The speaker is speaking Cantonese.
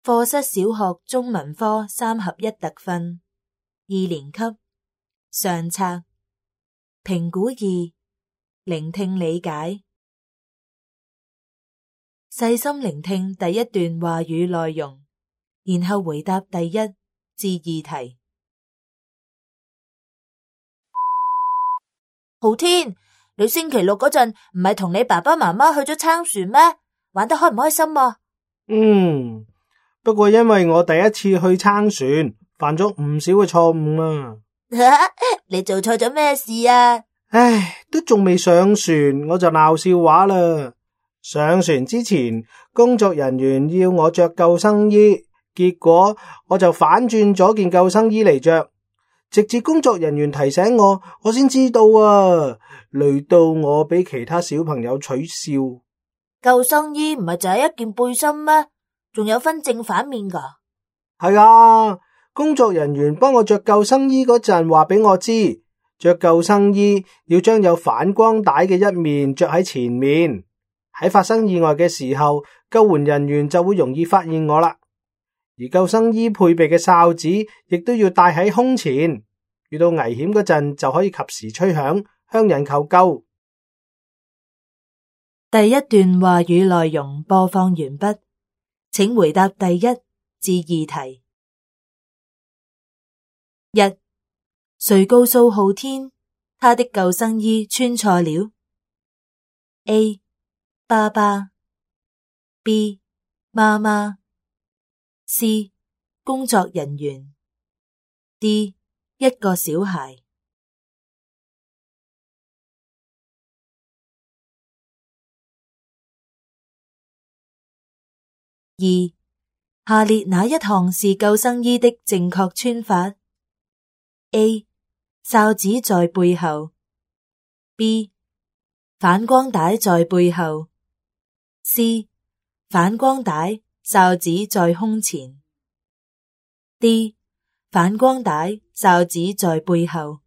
課室小學中文科3合1特訓2年級上冊評估2聆聽理解。細心聆聽第一段話語內容，然後回答第1至2題。浩天，你星期六嗰陣唔係同你爸爸媽媽去咗撐船咩？玩得開唔開心啊？不過因為我第一次去撐船，犯咗唔少嘅錯誤啊。你做錯咗咩事啊？都仲未上船我就鬧笑話啦。上船之前，工作人員要我着救生衣，結果我就反轉咗件救生衣嚟着，直至工作人員提醒我，我先知道啊，累到我俾其他小朋友取笑。救生衣唔係就係一件背心咩？仲有分正反面噶？係啊，工作人員幫我着救生衣嗰陣話俾我知，着救生衣要將有反光帶嘅一面着喺前面，喺發生意外嘅時候，救援人員就會容易發現我啦。而救生衣配備嘅哨子亦都要戴喺胸前，遇到危險嗰陣就可以及時吹響，向人求救。第一段話語內容播放完畢，請回答第1至2題。1. 誰告訴浩天他的救生衣穿錯了 ？A. 爸爸 B. 媽媽 C. 工作人員 D. 一個小孩。2. 下列哪一項是救生衣的正確穿法 ？A. 哨子在背後 B. 反光帶在背後 C. 反光帶哨子在胸前 D. 反光帶哨子在背後。